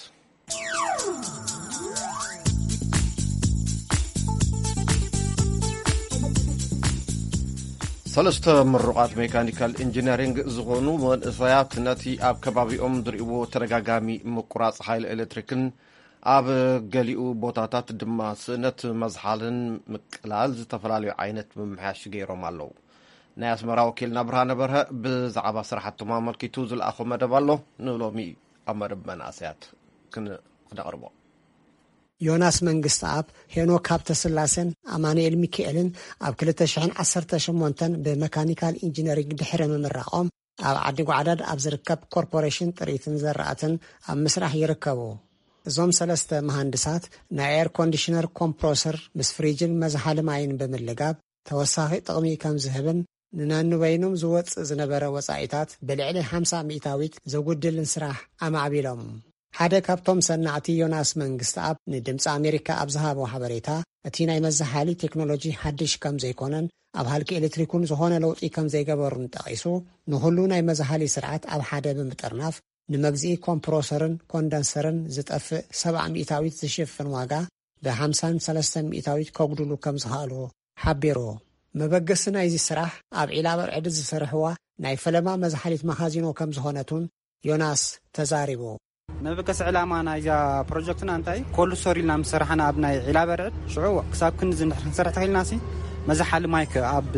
ሰለስተ ምሩቓት ሜካኒካል ኢንጂነሪንግ ዝኾኑ መንእሰያት ነቲ ኣብ ከባቢኦም ዝርእይዎ ተደጋጋሚ ምቁራጽ ሓይሊ ኤሌክትሪክን ኣብ ገሊኡ ቦታታት ድማ ስእነት መዝሓልን ምቅላል ዝተፈላለዩ ዓይነት ምምሕያሽ ገይሮም ኣለዉ። ናይ ኣስመራ ወኪልና ብርሃነ በርሀ ብዛዕባ ስራሕቶም ኣመልኪቱ ዝለኣኾ መደብ ኣሎ፣ ንሎሚ ኣብ መደብ መናእሰያት ክን-፣ ክነቕርቦ። ዮናስ መንግስተኣብ፣ ሄኖክ ሃብተስላሴን ኣማኑኤል ሚካኤልን ኣብ ክልተ ሽሕን ዓሰርተ ሸሞንተን ብመካኒካል ኢንጂነሪንግ ድሕሪ ምምራቖም፣ ኣብ ዓዲ ጓዕዳድ ኣብ ዝርከብ ኮርፖሬሽን ጥሪትን ዘራእትን ኣብ ምስራሕ ይርከቡ። እዞም ሰለስተ መሃንድሳት፣ ናይ ኤር ኮንዲሽነር ኮምፕሮሰር ምስ ፍሪጅን መዝሓሊ ማይን ብምልጋብ ተወሳኺ ጥቕሚ ከም ዝህብን ንነንበይኖም ዝወጽእ ዝነበረ ወጻኢታት ብልዕሊ ሓምሳ ሚእታዊት ዘጉድልን ስራሕ ኣማዕቢሎም። ሓደ ካብቶም ሰናዕቲ ዮናስ መንግስተኣብ ንድምፂ ኣሜሪካ ኣብ ዝሃቦ ሓበሬታ፣ እቲ ናይ መዘሓሊ ቴክኖሎጂ ሓድሽ ከም ዘይኮነን ኣብ ሃልኪ ኤሌክትሪክ እውን ዝኾነ ለውጢ ከም ዘይገበሩን ጠቒሱ፣ ንኹሉ ናይ መዝሓሊ ስርዓት ኣብ ሓደ ብምጥርናፍ ንመግዝኢ ኮምፕሮሰርን ኮንደንሰርን ዝጠፍእ ሰብዓ ሚእታዊት ዝሽፍን ዋጋ ብሓምሳን ሰለስተን ሚእታዊት ከጉድሉ ከም ዝኸኣሉ ሓቢሩ። መበገሲ ናይዚ ስራሕ ኣብ ዒላ በርዕዲ ዝሰርሕዋ ናይ ፈለማ መዝሓሊት መኻዚኖ ከም ዝኾነት እውን ዮናስ ተዛሪቡ። መበገሲ ዕላማ ናይዛ ፕሮጀክትና እንታይ? ኮልድ ስቶር ኢልና ምስ ሰራሕና ኣብ ናይ ዒላ በርዕድ ሽዑ ክሳብ ክንዲ እንድሕር ክንሰርሕ ተኽኢልናሲ መዝሓሊ ማይ ከ ኣብ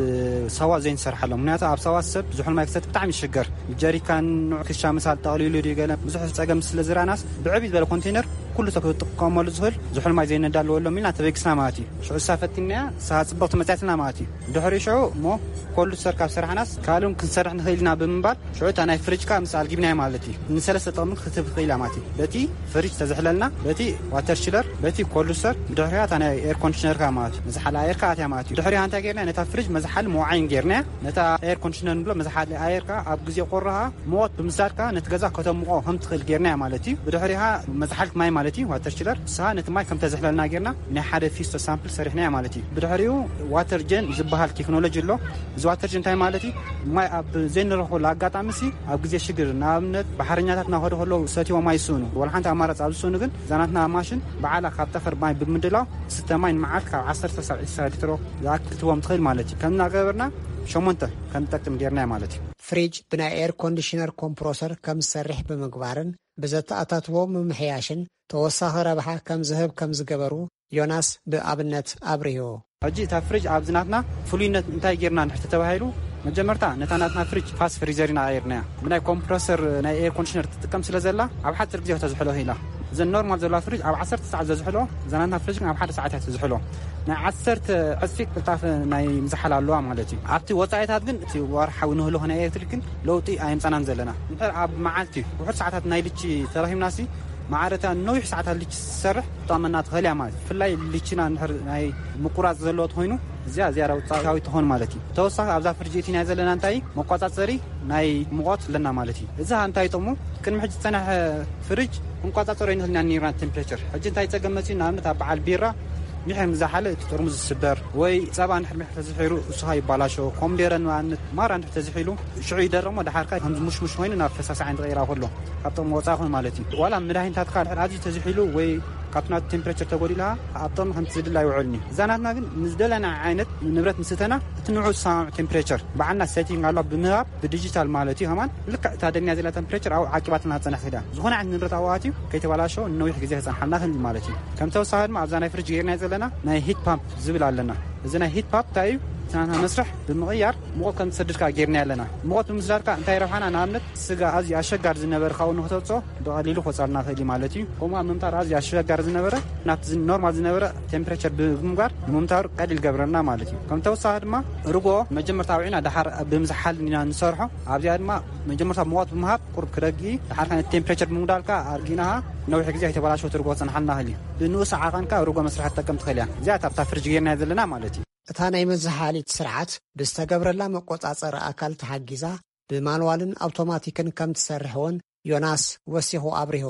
ሳዋ ዘይንሰርሓሎም። ምክንያቱ ኣብ ሳዋ ሰብ ዝሑል ማይ ክሰቲ ብጣዕሚ ይሽገር። ጀሪካን ንዑ ክሻ ምሳል ጠቕሊሉ ድዩ ገለ ብዙሕ ጸገም ስለ ዝረኣናስ ብዕብይ ዝበለ ኮንቴነር ኩሉ ሰብ ክጥቀመሉ ዝኽእል ዝሑል ማይ ዘይነዳለወሎም ኢልና ተበጊስና ማለት እዩ። ሽዑ እሳ ፈቲንናያ እሳ ጽብቕቲ መጽያትና ማለት እዩ። ድሕሪ ሽዑ እሞ ኮልድ ስቶር ካብ ሰራሕናስ ካልእ ክንሰርሕ ንኽእል ኢና ብምባል ሽዑ እታ ናይ ፍሪጅ ከኣ ምስ ኣልጊብናያ ማለት እዩ። ንሰለስተ ጥቕሚ ክትህብ ትኽእል እያ ማለት እዩ። በቲ ፍሪጅ ተዝሕለልና፣ በቲ ዋተር ችለር፣ በቲ ኮልድ ስቶር፣ ብድሕሪኣ እታ ናይ ኤር ኮንዲሽነር ከኣ ማለት እዩ። መዝሓሊ ኣየር ከኣ ኣትያ ማለት እዩ። ድሕሪኣ እንታይ ጌርና? ነታ ፍሪጅ መዝሓሊ መውዓይን ጌርናያ። ነታ ኤር ኮንዲሽነር ንብሎ መዝሓሊ ኣየር ከኣ ኣብ ግዜ ቁሪ ከኣ ሙቐት ብምስዳድ ከኣ ነቲ ገዛ ከተሙቖ ከም ትኽእል ጌርናያ ማለት እዩ። ብድሕሪኣ መዝሓሊት ማይ ማለት እዩ፣ ዋተር ችለር፣ ንስኻ ነቲ ማይ ከም ተዝሕለልና ጌርና ናይ ሓደ ፊስቶ ሳምፕል ሰሪሕናያ ማለት እዩ። ብድሕሪኡ ዋተር ጀን ዝበሃል ቴክኖሎጂ ኣሎ። እዚ ዋተር ጀን እንታይ ማለት እዩ? ማይ ኣብ ዘይንረኽበሉ ኣጋጣሚ ሲ ኣብ ግዜ ሽግር፣ ንኣብነት ባሕረኛታት እናኸዱ ከለዉ ሰትዮም ኣይስእኑ፣ ወላ ሓንቲ ኣማራፂ ኣብ ዝስእኑ ግን እዛ ናትና ማሽን ባዕላ ካብ ጠፈር ማይ ብምድላው ዝስተ ማይ ንመዓልቲ ካብ ዓሰርተ ክሳብ ዕስራ ሊትሮ ዝኣክል ክትቦም ትኽእል ማለት እዩ። ከም እናገበርና ሸሞንተ ከም ዝጠቅም ጌርናዮ ማለት እዩ። ፍሪጅ ብናይ ኤር ኮንዲሽነር ኮምፕሮሰር ከም ዝሰርሕ ብምግባርን ብዘተኣታትዎ ምምሕያሽን ተወሳኺ ረብሓ ከም ዝህብ ከም ዝገበሩ ዮናስ ብኣብነት ኣብሪሁ። ሕጂ እታ ፍሪጅ ኣብዚ ናትና ፍሉይነት እንታይ ጌርና እንድሕር ተባሂሉ፣ መጀመርታ ነታ ናትና ፍሪጅ ፋስት ፍሪዘር ኢና ቀይርናያ። ብናይ ኮምፕረሰር ናይ ኤር ኮንዲሽነር ትጥቀም ስለ ዘላ ኣብ ሓፂር ግዜ ተዝሕሎ ኢላ። እዘን ኖርማል ዘለዋ ፍሪጅ ኣብ ዓሰርተ ሰዓት ዘዝሕሎ፣ እዛ ናትና ፍሪጅ ግን ኣብ ሓደ ሰዓት እያ ትዝሕሎ። ናይ ዓሰርተ ዕፅፊ ቅልጣፈ ናይ ምዝሓል ኣለዋ ማለት እዩ። ኣብቲ ወፃኢታት ግን እቲ ወርሓዊ ንህልኾ ናይ ኤሌክትሪክ ግን ለውጢ ኣየምፃናን ዘለና። እንድሕር ኣብ መዓልቲ ውሑድ ሰዓታት ናይ ልቺ ተረኺብናሲ ማዕረታ ነዊሕ ሰዓታት ልቺ ትሰርሕ ትጠቕመና ትኽእል እያ ማለት እዩ። ብፍላይ ልቺና እንድሕር ናይ ምቁራፅ ዘለዎ ተኾይኑ እዚኣ ዝያዳ ውፅኢታዊ ትኾን ማለት እዩ። ተወሳኺ ኣብዛ ፍርጅ እቲና ዘለና እንታይ መቋፃፀሪ ናይ ሙቐት ኣለና ማለት እዩ። እዚ እንታይ ጥቕሙ? ቅድሚ ሕጂ ዝፀናሐ ፍርጅ ክንቋፃፀሮ ይንኽእል ኢና ነርና ቴምፕሬቸር። ሕጂ እንታይ ፀገም መፅኡ? ንኣብነት ኣብ በዓል ቢራ ሚሕር ንዝሓለ እቲ ጥርሙዝ ዝስበር ወይ ፀባ እንድሕር ሚሕር ተዝሒሩ እሱኻ ይባላሾ። ኮምዴረ ንኣብነት ማራ እንድሕር ተዝሒሉ ሽዑ ይደረሞ ደሓርካ ከምዚ ሙሽሙሽ ኮይኑ ናብ ፈሳሲ ዓይኒ ተቐይራ ከሎ ካብ ጥቕሚ ወፃኢ ኮይኑ ማለት እዩ። ዋላ መድሃኒታትካ ድሕር ኣዝዩ ተዝሒሉ ወይ ካብቲ ናቱ ቴምፕሬቸር ተጎዲልካ ኣብ ጥቕሚ ከምቲ ዝድለ ኣይውዕልን እዩ። እዛ ናትና ግን ንዝደለና ዓይነት ንብረት ምስተና እቲ ንዑ ዝሰማምዕ ቴምፕሬቸር ባዕልና ሴቲንግ ኣሎ ብምህባብ ብዲጂታል ማለት እዩ። ከማን ልክዕ እታ ደልያ ዘላ ቴምፕሬቸር ኣብኡ ዓቂባትና ትፀንሕ ትኽእል እያ። ዝኾነ ዓይነት ንብረት ኣብኡ ኣትዩ ከይተባላሸወ ንነዊሕ ግዜ ክፀንሓልና ክእል ማለት እዩ። ከም ተወሳኺ ድማ ኣብዛ ናይ ፍርጅ ገይርና ዘለና ናይ ሂት ፓምፕ ዝብል ኣለና። እዚ ናይ ሂት ፓምፕ እንታይ እዩ? እቲ ናትና መስርሕ ብምቕያር ሙቐት ከም ትሰድድካ ገይርና ኣለና። ሙቐት ብምስዳድካ እንታይ ረብሓና? ንኣብነት ስጋ ኣዝዩ ኣሸጋሪ ዝነበረ ካብኡ ንክተውፅኦ ብቐሊሉ ክወፅኣልና ክእል እዩ ማለት እዩ። ከምኡ ኣብ ምምታር ኣዝዩ ኣሸጋሪ ዝነበረ ናብቲ ዝ- ኖርማል ዝነበረ ቴምፕሬቸር ብምግባር ንምምታሩ ቀሊል ገብረልና ማለት እዩ። ከም ተወሳኺ ድማ ርጎ መጀመርታ ኣውዒና ደሓር ብምዝሓል ኢና ንሰርሖ። ኣብዚኣ ድማ መጀመርታ ሙቐት ብምሃብ ቁርብ ክረጊ ደሓር ከነ ቴምፕሬቸር ብምጉዳልካ ኣርጊናሃ ነዊሕ ግዜ ኣይተበላሸወት ርጎ ክፀንሓልና ክእል እዩ። ብንኡስ ዓቐንካ ርጎ መስርሒ ትጠቀም ትኽእል እያ። እዚኣ ኣብታ ፍርጅ ጌርና ዘለና ማለት እዩ። እታ ናይ መዘሓሊት ስርዓት ብዝተገብረላ መቆጻጸሪ ኣካል ተሓጊዛ ብማንዋልን ኣውቶማቲክን ከም ትሰርሕ እውን ዮናስ ወሲኹ ኣብሪሁ።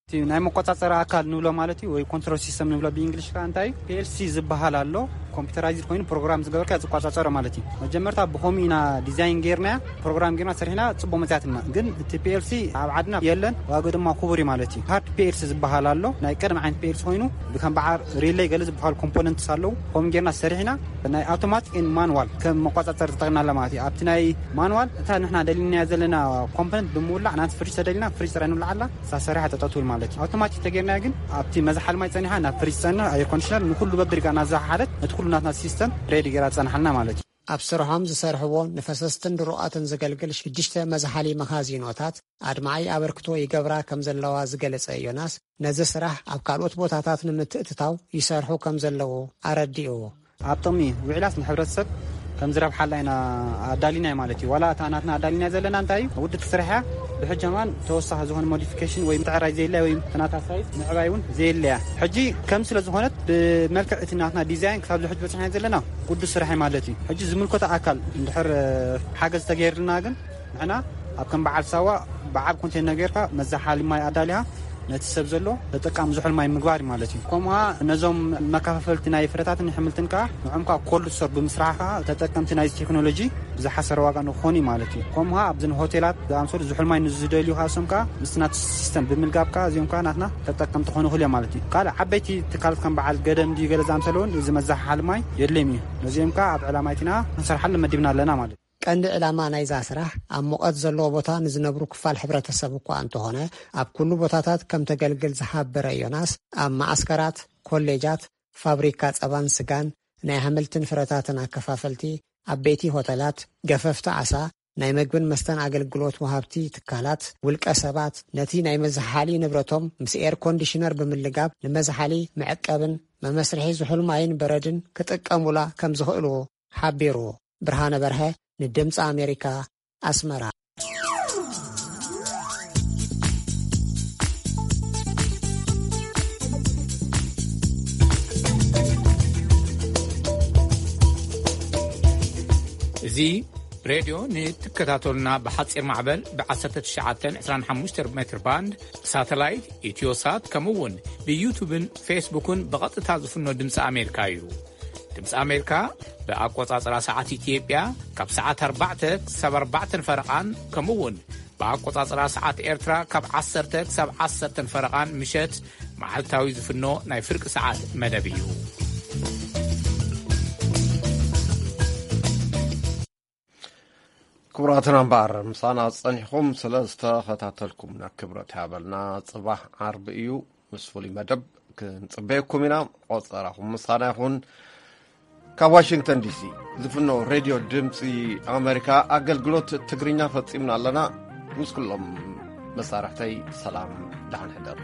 እቲ ናይ መቆጻጸሪ ኣካል ንብሎ ማለት እዩ ወይ ኮንትሮል ሲስተም ንብሎ ብእንግሊሽ ከኣ እንታይ ፒኤልሲ ዝበሃል ኣሎ። ኮምፒውተራይዝድ ኮይኑ ፕሮግራም ዝገበርካ ዝቆጻጸሮ ማለት እዩ። መጀመርታ ብኸምኡ ኢና ዲዛይን ጌርናያ ፕሮግራም ጌርና ሰሪሕና ጽቡቅ መጽያትና። ግን እቲ ፒኤልሲ ኣብ ዓድና የለን፣ ዋጋ ድማ ክቡር እዩ ማለት እዩ። ሃርድ ፒኤልሲ ዝበሃል ኣሎ። ናይ ቀደም ዓይነት ፒኤልሲ ኮይኑ ብከም በዓር ሪሌይ ገለ ዝበሃሉ ኮምፖነንትስ ኣለዉ። ከምኡ ጌርና ሰሪሕና ናይ ኣውቶማቲክ ኤንድ ማኑዋል ከም መቆጻጸሪ ተጠቅምና ኣላ ማለት እዩ። ኣብቲ ናይ ማኑዋል እታ ንሕና ደሊናያ ዘለና ኮምፖነንት ብምውላዕ ናቲ ፍሪጅ ተደሊና ፍሪጅ ጥራይ ንውልዓላ እሳ ሰሪሓ ጠጠው ትብል ማለት እዩ። ኣውቶማቲክ ተጌርናያ ግን ኣብቲ መዝሓል ማይ ጸኒሓ ናብ ፍሪጅ ጸንሕ ኣየር ኮንዲሽነር ንኩሉ በብሪጋ እናዘሓሓለት ነቲ ኩሉ ናትና ሲስተም ሬዲ ጌራ ትጸንሓልና ማለት እዩ። ኣብ ስርሖም ዝሰርሕዎ ንፈሰስትን ድሩቓትን ዘገልግል ሽዱሽተ መዝሓሊ መኻዚኖታት ኣድማዒ ኣበርክቶ ይገብራ ከም ዘለዋ ዝገለጸ ዮናስ፣ ነዚ ስራሕ ኣብ ካልኦት ቦታታት ንምትእትታው ይሰርሑ ከም ዘለዉ ኣረዲኡ። ኣብ ጥቕሚ ውዒላስ ንሕብረተሰብ ከም ዝረብሓላ ኢና ኣዳሊናይ ማለት እዩ። ዋላ እታ ናትና ኣዳሊናይ ዘለና እንታይ እዩ? ውድእቲ ስራሕ እያ። ብሕጂ ከማን ተወሳኺ ዝኾነ ሞዲፊኬሽን ወይ ምትዕራይ ዘየለ ወይ ተናታ ሳይዝ ምዕባይ እውን ዘየለ እያ። ሕጂ ከም ስለ ዝኾነት ብመልክዕ እቲ ናትና ዲዛይን ክሳብ ዝሕጂ በፅሕና ዘለና ቅዱስ ስራሕ እዩ ማለት እዩ። ሕጂ ዝምልከቶ ኣካል እንድሕር ሓገዝ ተገይርልና ግን ንሕና ኣብ ከም በዓል ሳዋ ብዓብ ኮንቴነር ጌርካ መዛሓሊ ማይ ኣዳሊኻ ነቲ ሰብ ዘሎ ተጠቃሚ ዝሑል ማይ ምግባር እዩ ማለት እዩ። ከምኡ ነዞም መከፋፈልቲ ናይ ፍረታትን ኣሕምልትን ከዓ ንዖም ከዓ ኮልድ ስቶር ብምስራሕ ከዓ ተጠቀምቲ ናይዚ ቴክኖሎጂ ብዝሓሰረ ዋጋ ንኾኑ እዩ ማለት እዩ። ከምኡ ኣብዘን ሆቴላት ዝኣምሰሉ ዝሑል ማይ ንዝደልዩ ከዓ እሶም ከዓ ምስቲ ናቱ ሲስተም ብምልጋብ ከዓ እዚኦም ከዓ ናትና ተጠቀምቲ ክኾኑ ይኽእሉ እዮም ማለት እዩ። ካልእ ዓበይቲ ትካላት ከም በዓል ገደም ድዩ ገለ ዝኣምሰሉ እውን እዚ መዛሓሓሊ ማይ የድልዮም እዩ። ነዚኦም ከዓ ኣብ ዕላማ ይቲና ክንሰርሓሉ መዲብና ኣለና ማለት እዩ። ቀንዲ ዕላማ ናይዛ ስራሕ ኣብ ሙቐት ዘለዎ ቦታ ንዝነብሩ ክፋል ሕብረተሰብ እኳ እንተኾነ፣ ኣብ ኩሉ ቦታታት ከም ተገልግል ዝሓበረ ዮናስ፣ ኣብ መዓስከራት፣ ኮሌጃት፣ ፋብሪካ ጸባን ስጋን፣ ናይ ኣሕምልትን ፍረታትን ኣከፋፈልቲ፣ ዓበይቲ ሆተላት፣ ገፈፍቲ ዓሳ፣ ናይ መግብን መስተን ኣገልግሎት ወሃብቲ ትካላት፣ ውልቀ ሰባት ነቲ ናይ መዝሓሊ ንብረቶም ምስ ኤር ኮንዲሽነር ብምልጋብ ንመዝሓሊ መዕቀብን መመስርሒ ዝሑል ማይን በረድን ክጥቀሙላ ከም ዝኽእሉ ሓቢሩ። ብርሃነ በርሀ ንድምፂ ኣሜሪካ ኣስመራ። እዚ ሬድዮ ንትከታተሉና ብሓፂር ማዕበል ብ1925 ሜትር ባንድ ሳተላይት ኢትዮሳት ከምኡ እውን ብዩቱብን ፌስቡክን ብቐጥታ ዝፍኖ ድምፂ ኣሜሪካ እዩ። ድምፂ ኣሜሪካ ብኣቆፃፅራ ሰዓት ኢትዮጵያ ካብ ሰዓት ኣርባዕተ ክሳብ ኣርባዕተን ፈረቓን ከምኡ እውን ብኣቆፃፅራ ሰዓት ኤርትራ ካብ ዓሰርተ ክሳብ ዓሰርተን ፈረቓን ምሸት መዓልታዊ ዝፍኖ ናይ ፍርቂ ሰዓት መደብ እዩ። ክቡራትና እምበኣር ምሳና ጸኒሕኩም ስለ ዝተኸታተልኩምና ክብረት ያበልና። ጽባሕ ዓርቢ እዩ፣ ምስ ፍሉይ መደብ ክንጽበየኩም ኢና። ቆጸራኹም ምሳና ይኹን። ካብ ዋሽንግተን ዲሲ ዝፍኖ ሬድዮ ድምፂ ኣሜሪካ ኣገልግሎት ትግርኛ ፈጺምና ኣለና። ምስ ኩሎም መሳርሕተይ ሰላም፣ ደሓን ሕደር።